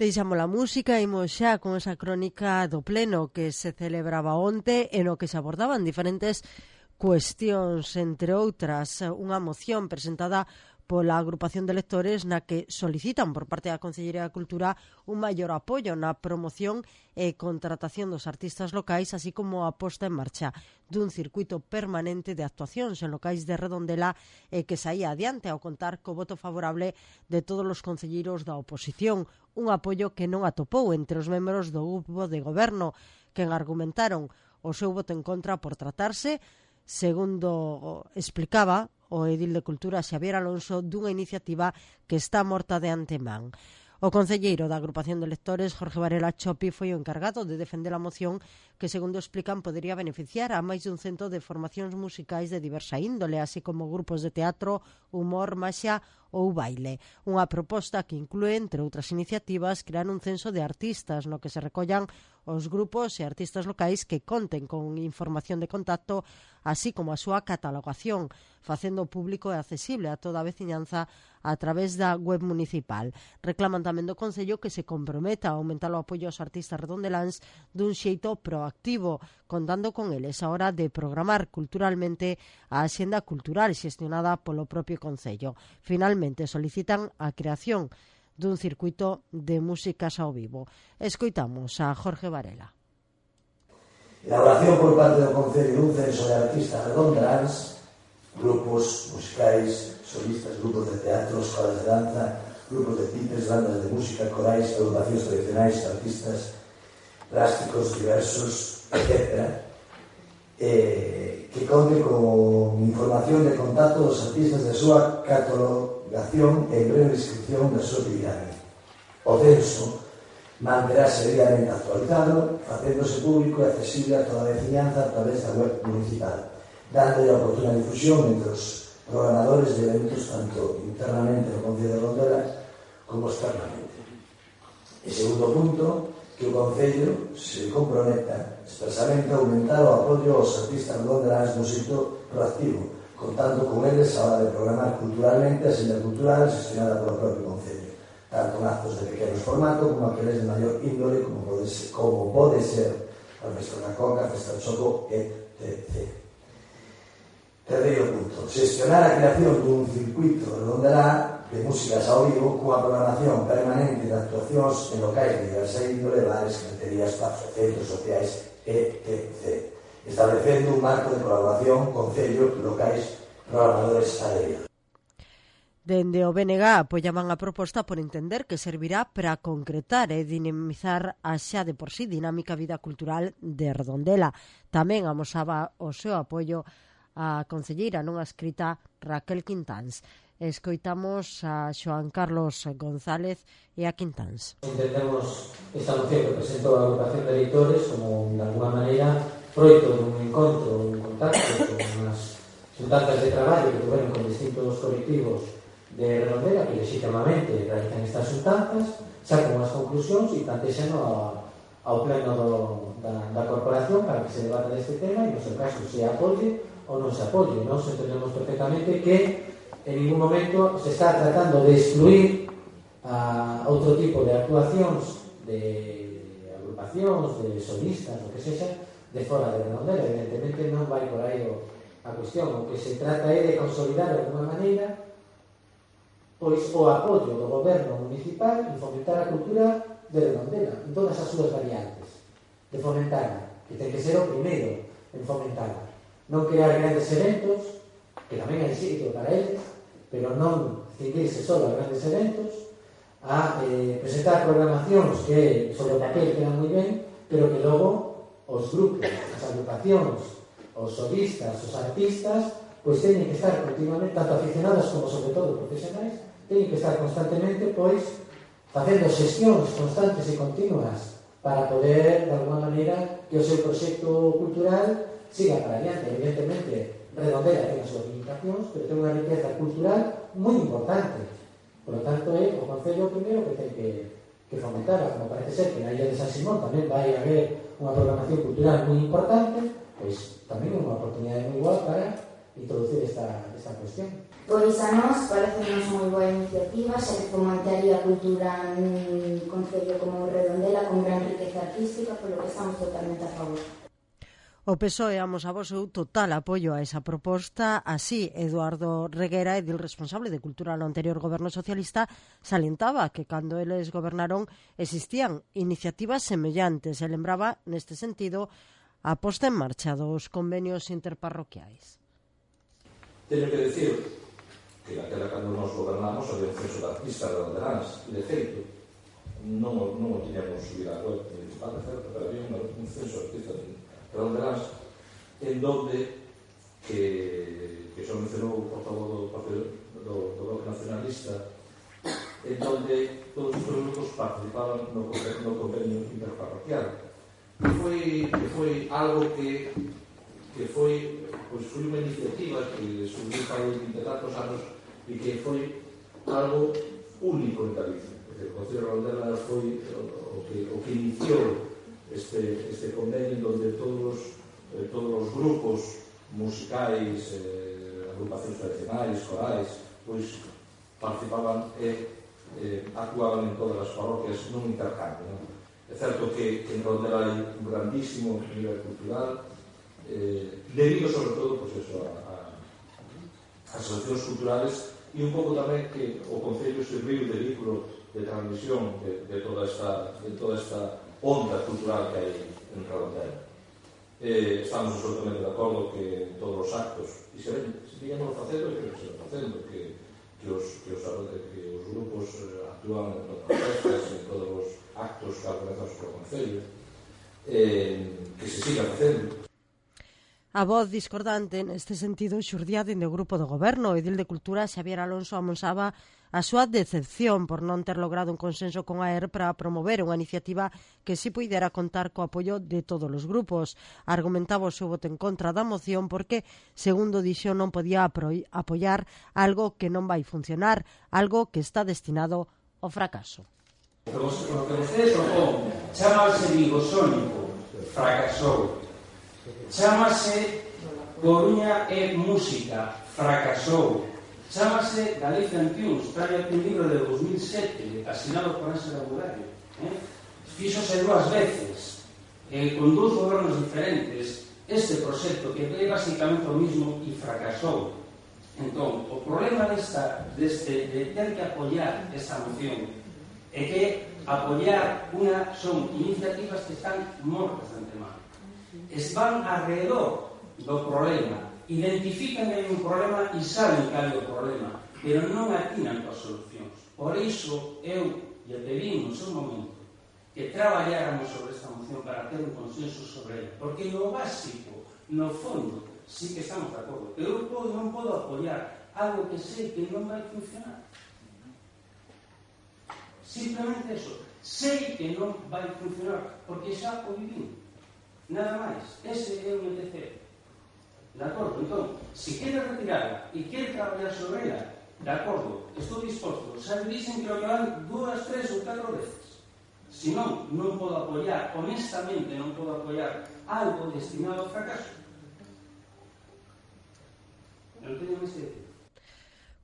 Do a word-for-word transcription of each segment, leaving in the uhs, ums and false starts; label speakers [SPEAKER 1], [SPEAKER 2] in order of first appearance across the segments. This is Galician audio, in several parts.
[SPEAKER 1] Deixamos a música e imos xa con esa crónica do pleno que se celebraba onte e no que se abordaban diferentes cuestións, entre outras, unha moción presentada pola agrupación de lectores na que solicitan por parte da Consellería de Cultura un maior apoio na promoción e contratación dos artistas locais, así como a posta en marcha dun circuito permanente de actuacións en locais de Redondela e que saía adiante ao contar co voto favorable de todos os concelleiros da oposición, un apoio que non atopou entre os membros do grupo de goberno, quen argumentaron o seu voto en contra por tratarse, segundo explicaba o edil de Cultura Xavier Alonso, dunha iniciativa que está morta de antemán. O concelleiro da agrupación de lectores, Jorge Varela Chopi, foi o encargado de defender a moción que, segundo explican, podería beneficiar a máis dun cento de formacións musicais de diversa índole, así como grupos de teatro, humor, maxia ou baile. Unha proposta que inclúe, entre outras iniciativas, crear un censo de artistas no que se recollan os grupos e artistas locais que conten con información de contacto, así como a súa catalogación, facendo público e accesible a toda a veciñanza a través da web municipal. Reclaman tamén do Concello que se comprometa a aumentar o apoio aos artistas redondeláns dun xeito proactivo, contando con eles a hora de programar culturalmente a axenda cultural xestionada polo propio Concello. Finalmente, solicitan a creación dun circuito de músicas ao vivo. Escoitamos a Jorge Varela.
[SPEAKER 2] Elaboración por parte do Concello dun censo de artistas redondeláns, grupos musicais, solistas, grupos de teatro, escolas de danza, grupos de tipes, bandas de música, corais, agrupacións tradicionais, artistas plásticos diversos, etcétera, eh, que conte con información de contacto dos artistas de súa catalogación e breve descripción da súa actividade. O censo manterase debidamente actualizado, facéndose público e accesible a toda a veciñanza a través da web municipal, dándolle a oportuna difusión entre os programadores de eventos tanto internamente no Concello de Redondela como externamente. E segundo punto, que o Concello se comprometa expresamente a aumentar o apoio aos artistas redondeláns no xeito proactivo, contando con eles a hora de programar culturalmente a xenda cultural gestionada polo propio Concello, tanto en actos de pequeno formato como aqueles de maior índole como pode ser, como pode ser a Festa da Coca, a Festa do Choco, etcétera. Terceiro punto, xestionar a creación dun circuito redondelá de músicas ao vivo cunha programación permanente de actuacións en locais de diversa índole, bares, cafeterías, centros sociais, etcétera. Establecendo un marco de colaboración con concellos, locais, programadores adheridos.
[SPEAKER 1] Dende o B N G apoiaban a proposta por entender que servirá para concretar e dinamizar a xa de por sí dinámica vida cultural de Redondela. Tamén amosaba o seu apoio a concelleira nunha escrita Raquel Quintáns. Escoitamos a Xoán Carlos González e a Quintáns.
[SPEAKER 3] Entendemos esta moción que presentou a agrupación de leitores como, de alguma maneira, froito dun encontro, un contacto con as xuntanzas de traballo que tuveron con distintos colectivos de Redondela que legitimamente realizan estas xuntanzas, sacan unhas conclusións e plantexan ao, ao pleno do, da, da corporación para que se debata deste tema e, no seu caso, se apoie ou non se apoie. Nos entendemos perfectamente que en ningún momento se está tratando de excluir a outro tipo de actuacións de agrupacións, de solistas, o que sexa, de fora de Redondela. Evidentemente non vai por aí o, a cuestión. O que se trata é de consolidar de alguma maneira pois o apoio do goberno municipal en fomentar a cultura de Redondela en todas as súas variantes, de fomentarla, que ten que ser o primeiro en fomentarla, non crear grandes eventos, que tamén hai sitio para eles, pero non cindirse só a grandes eventos, a eh, presentar programacións que sobre o papel quedan moi ben, pero que logo os grupos, as agrupacións, os solistas, os artistas, pois teñen que estar continuamente, tanto aficionados como sobre todo profesionais, teñen que estar constantemente, pois, facendo xestións constantes e continuas para poder, de alguma maneira, que o seu proxecto cultural siga para adiante. Evidentemente, Redondela ten as súas limitacións, pero ten unha riqueza cultural moi importante. Por lo tanto, é o Concello primeiro que ten que, que fomentar, como parece ser que na Illa de San Simón tamén vai haber unha programación cultural moi importante, pois tamén é unha oportunidade moi igual para introducir esta, esta cuestión.
[SPEAKER 4] Pois a nós parece-nos moi boa iniciativa, xa que fomentaría a cultura nun concello como Redondela con gran riqueza artística, polo que estamos totalmente a favor.
[SPEAKER 1] O P S O E amosaba o seu total apoio a esa proposta. Así, Eduardo Reguera, edil responsable de Cultura no anterior goberno socialista, salientaba que cando eles gobernaron existían iniciativas semellantes e lembraba, neste sentido, a posta en marcha dos convenios interparroquiais.
[SPEAKER 5] Teño que decir que naquela cando nos gobernamos había un censo de artistas redondeláns e de feito non, non o tiñamos subido a web municipal, certo, pero había un, un censo de artistas redondeláns en donde que, que xa mencionou o portavoz do Partido do, do Bloque Nacionalista, en donde todos os grupos participaban no, no convenio interparroquial, que foi, que foi algo que que foi, pois, foi unha iniciativa que surgiu para vinte e tantos anos e que foi algo único en Galicia, porque o Concello de Redondela foi o que, o que iniciou este, este convenio donde todos, eh, todos os grupos musicais, eh, agrupacións tradicionais, corais, pois participaban e eh, actuaban en todas as parroquias nun intercambio, non? É certo que, que en Redondela hai un grandísimo nivel cultural, eh, debido sobre todo pues eso, a, a, a asociacións culturales e un pouco tamén que o Concello serviu de vehículo de transmisión de, de, toda esta, de toda esta onda cultural que hai en Redondela. Eh, estamos absolutamente de acordo que en todos os actos, e se ven, se digamos facendo, e que se ven facendo, que, que, os, que, os, que os grupos actúan en todas as festas, en todos os actos que organizamos polo Concello, eh, que se siga facendo.
[SPEAKER 1] A voz discordante neste sentido xurdía dende o grupo do goberno. O edil de Cultura, Xavier Alonso, amosaba a súa decepción por non ter logrado un consenso con a E R para promover unha iniciativa que si puidera contar co apoio de todos os grupos. Argumentaba o seu voto en contra da moción porque, segundo dixo, non podía apoiar algo que non vai funcionar, algo que está destinado ao fracaso.
[SPEAKER 6] O que vostedes propón chamase Vigo Sónico, fracasou. Chámase Coruña e Música, fracasou. Chámase Galicia en Tunes, trae un libro de dos mil sete, asinado por Ángela Bugallo. Eh? Fíxose dúas veces, eh, con dous gobernos diferentes, este proxecto que é basicamente o mismo e fracasou. Entón, o problema desta, deste, de ter que apoiar esta moción é que apoiar unha son iniciativas que están mortas de antemano. Van alrededor do problema, identifican que hai un problema e saben cal é o problema, pero non atinan coas solucións. Por iso, eu lle pedín no seu momento que traballáramos sobre esta moción para ter un consenso sobre ela, porque no básico, no fondo, sí que estamos de acordo. Eu non podo apoiar algo que sei que non vai funcionar. Simplemente eso. Sei que non vai funcionar, porque xa o vivín. Nada máis. Ese é o meu deseo. De acordo? Entón, se quere retirada e quere traballar sobre ela, de acordo, estou disposto. Xa dicen que lo llevan dúas, tres ou catro veces. Se non, non podo apoiar, honestamente non podo apoiar algo destinado ao fracaso. Non teño máis que decir.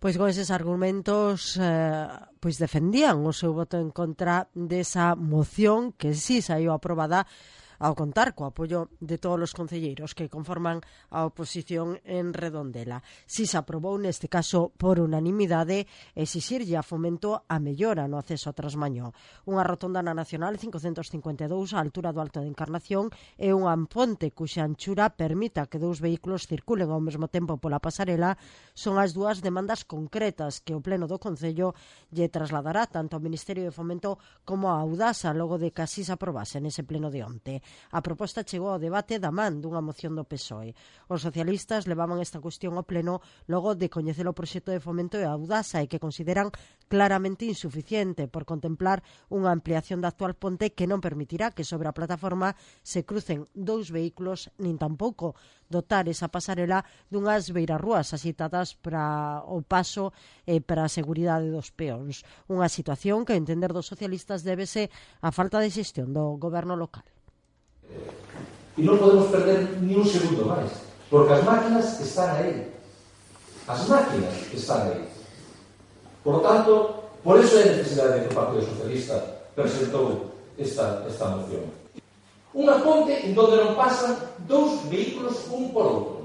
[SPEAKER 1] Pois con eses argumentos eh, pois defendían o seu voto en contra desa moción que si saiu aprobada ao contar co apoio de todos os concelleiros que conforman a oposición en Redondela. Si se aprobou neste caso por unanimidade exixirlle a Fomento a mellora no acceso a Trasmañó. Unha rotonda na Nacional cincocentos cincuenta e dous á altura do Alto de Encarnación e unha ponte cuxa anchura permita que dous vehículos circulen ao mesmo tempo pola pasarela son as dúas demandas concretas que o Pleno do Concello lle trasladará tanto ao Ministerio de Fomento como a Audasa logo de que así se aprobase nese pleno de onte. A proposta chegou ao debate da man dunha moción do P S O E. Os socialistas levaban esta cuestión ao pleno logo de coñecer o proxecto de Fomento e Audasa e que consideran claramente insuficiente por contemplar unha ampliación da actual ponte que non permitirá que sobre a plataforma se crucen dous vehículos nin tampouco dotar esa pasarela dunhas beirarrúas asitadas para o paso e para a seguridade dos peóns. Unha situación que, a entender dos socialistas, débese á falta de xestión do goberno local.
[SPEAKER 5] E non podemos perder ni un segundo máis, porque as máquinas están aí. as máquinas que están aí. Por lo tanto, por eso é necesidade que o Partido Socialista presentou esta, esta moción. Unha ponte en donde non pasan dous vehículos un por outro.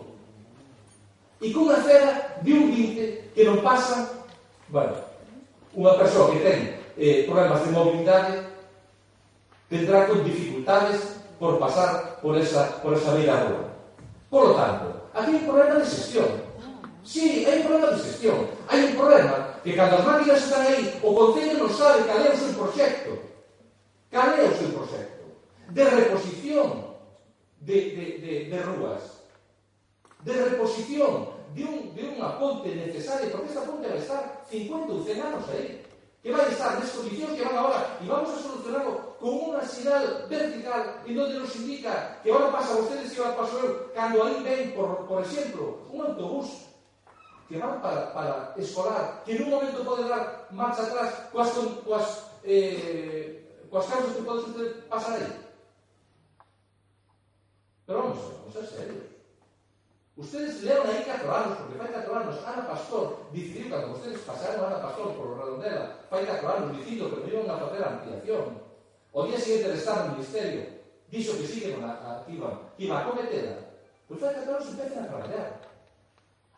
[SPEAKER 5] E cunha acera de un vinte que non pasan, bueno, unha persoa que ten eh, problemas de mobilidade tendrá con dificultades por pasar por esa, por esa beira rúa. Por lo tanto, aquí hai un problema de xestión. Sí, hai un problema de xestión. Hai un problema que cando as máquinas están aí, o Concello non sabe cal é o seu proxecto. Cal é o seu proxecto de reposición de, de, de, de rúas, de reposición de, un, de unha ponte necesaria, porque esta ponte vai estar cincuenta ou cen anos aí, que vai estar nas condicións que van agora, e vamos a solucionarlo con unha sinal vertical en donde nos indica que ahora pasa vostedes e ahora paso eu, cando aí ven, por, por exemplo, un autobús que van para, para escolar, que nun momento pode dar marcha atrás coas, coas, eh, coas causas que pode usted pasar aí. Pero vamos, vamos a ser serios. Ustedes leron aí catro anos, porque fai catro anos, Ana Pastor decidiu, cando ustedes pasaron a Ana Pastor por Redondela, fai catro anos, dicindo que non iban a facer a ampliación. O día seguinte de estar no Ministerio, dixo que sí que iban a, que iban, que iban a cometela. Pois fai catro anos empecen a traballar.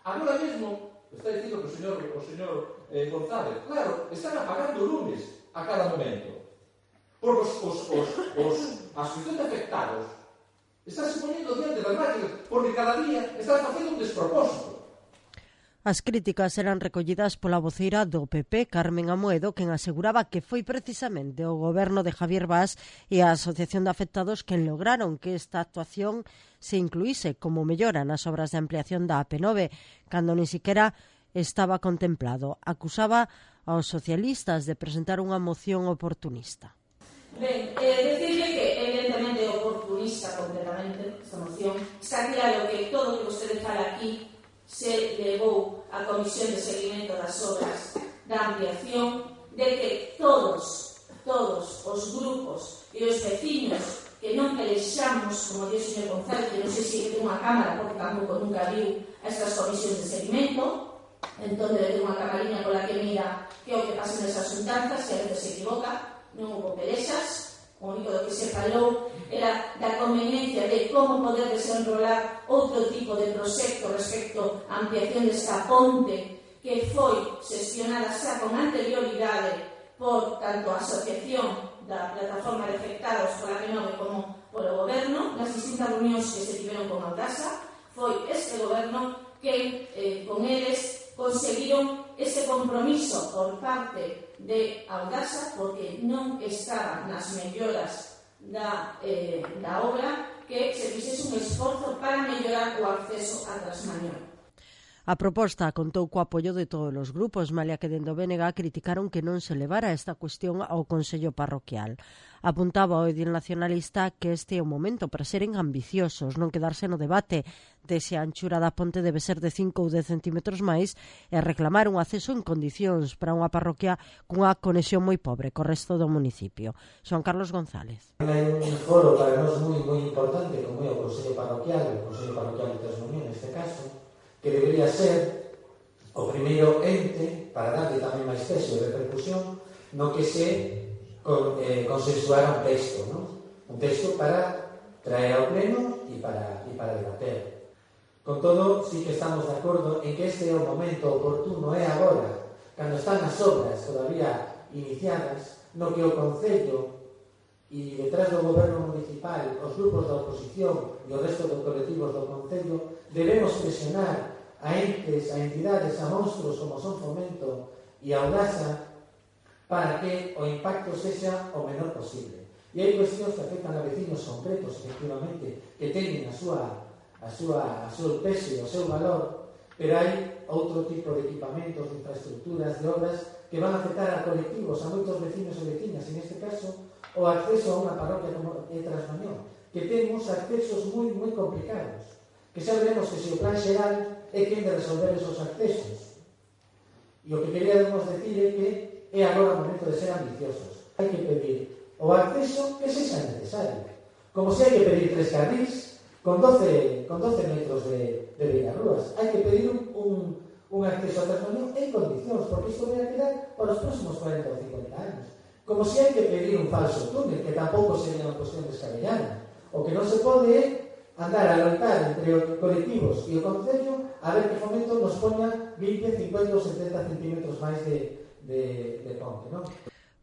[SPEAKER 5] Agora mesmo, está dicindo que o señor, o señor eh, González, claro, están apagando lumes a cada momento. Porque os, os, os, os asociacións de afectados están se poniendo diante das máquinas, porque cada día están facendo un despropósito.
[SPEAKER 1] As críticas eran recollidas pola voceira do P P, Carmen Amoedo, quen aseguraba que foi precisamente o goberno de Javier Bas e a Asociación de Afectados quen lograron que esta actuación se incluíse como mellora nas obras de ampliación da A P nove, cando ni siquiera estaba contemplado. Acusaba aos socialistas de presentar unha moción oportunista.
[SPEAKER 7] Ben, eh, decirle que evidentemente oportunista completamente esta moción. Está claro que todo o que vostede fala aquí se levou á Comisión de Seguimento das Obras da Ampliación, de que todos, todos os grupos e os vecinos que non pelexamos, como dice o señor González, que non sei se ten unha cámara, porque tampouco nunca viu a estas comisións de seguimento, entón debe ter unha camarina pola que mira que é o que pasa nesas xuntanzas, que a veces se equivoca. Non houve pelexas, o único do que se falou era da conveniencia de como poder desenrolar outro tipo de proxecto respecto á ampliación desta ponte que foi xestionada xa con anterioridade por tanto a Asociación da Plataforma de Afectados pola A P nove como polo Goberno. Nas distintas reunións que se tiveron con Audasa foi este Goberno que eh, con eles conseguiron ese compromiso por parte de Audasa, porque non estaban nas melloras da, eh, da obra, que se fixese un esforzo para mellorar o acceso a Trasmañón.
[SPEAKER 1] A proposta contou co apoio de todos os grupos, malia que dende o B N G criticaron que non se levara esta cuestión ao Consello Parroquial. Apuntaba o edil nacionalista que este é o momento para seren ambiciosos, non quedarse no debate de se a anchura da ponte debe ser de cinco ou dez centímetros máis e reclamar un acceso en condicións para unha parroquia cunha conexión moi pobre co resto do municipio. Xoan Carlos González.
[SPEAKER 3] Hai un foro para nós moi, moi importante, como é o Consello Parroquial, o Consello Parroquial de Trasmañón, neste caso, que debería ser o primeiro ente para darle tamén máis peso e repercusión no que se con, eh, consensuara un texto, ¿no? Un texto para traer ao pleno e para, e para debater. Con todo, sí que estamos de acordo en que este é o momento oportuno, é agora, cando están as obras todavía iniciadas, no que o Concello e detrás do goberno municipal, os grupos da oposición e o resto dos colectivos do Concello debemos presionar a entes, a entidades, a monstruos como son Fomento e Audasa para que o impacto sexa o menor posible. E hai cuestións que afectan a vecinos concretos, efectivamente, que teñen a súa, a súa, a súa peso e o seu valor, pero hai outro tipo de equipamentos, de infraestructuras, de obras que van a afectar a colectivos, a moitos vecinos e vecinas, en este caso, o acceso a unha parroquia como é Trasmañón, que temos accesos moi, moi complicados, que xa veremos que se o plan xeral é quen de resolver esos accesos. E o que queríamos decir é que é agora o momento de ser ambiciosos. Hai que pedir o acceso que sexa necesario. Como se hai que pedir tres carrís con doce, con doce metros de, de beirarrúas. Hai que pedir un, un, un acceso a Trasmañón en condicións, porque isto vai a quedar para os próximos cuarenta ou cincuenta anos. Como se hai que pedir un falso túnel, que tampouco sería unha cuestión descabellada. O que non se pode é andar a loitar entre os colectivos e o Concello a ver que Fomento nos poña vinte, cincuenta ou setenta centímetros máis de, de, de ponte, non?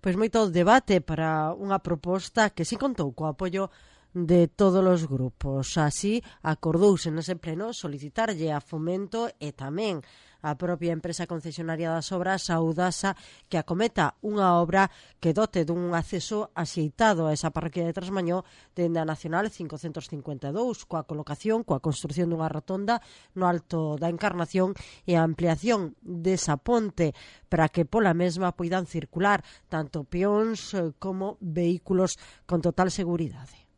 [SPEAKER 1] Pois moito debate para unha proposta que si contou co apoio de todos os grupos. Así, acordouse nese pleno solicitarlle a Fomento e tamén a propia empresa concesionaria das obras, a Audasa, que acometa unha obra que dote dun acceso axeitado a esa parroquia de Trasmañó dende a Nacional cincocentos cincuenta e dous, coa colocación, coa construción dunha rotonda no alto da Encarnación e a ampliación desa ponte para que pola mesma poidan circular tanto peóns como vehículos con total seguridade.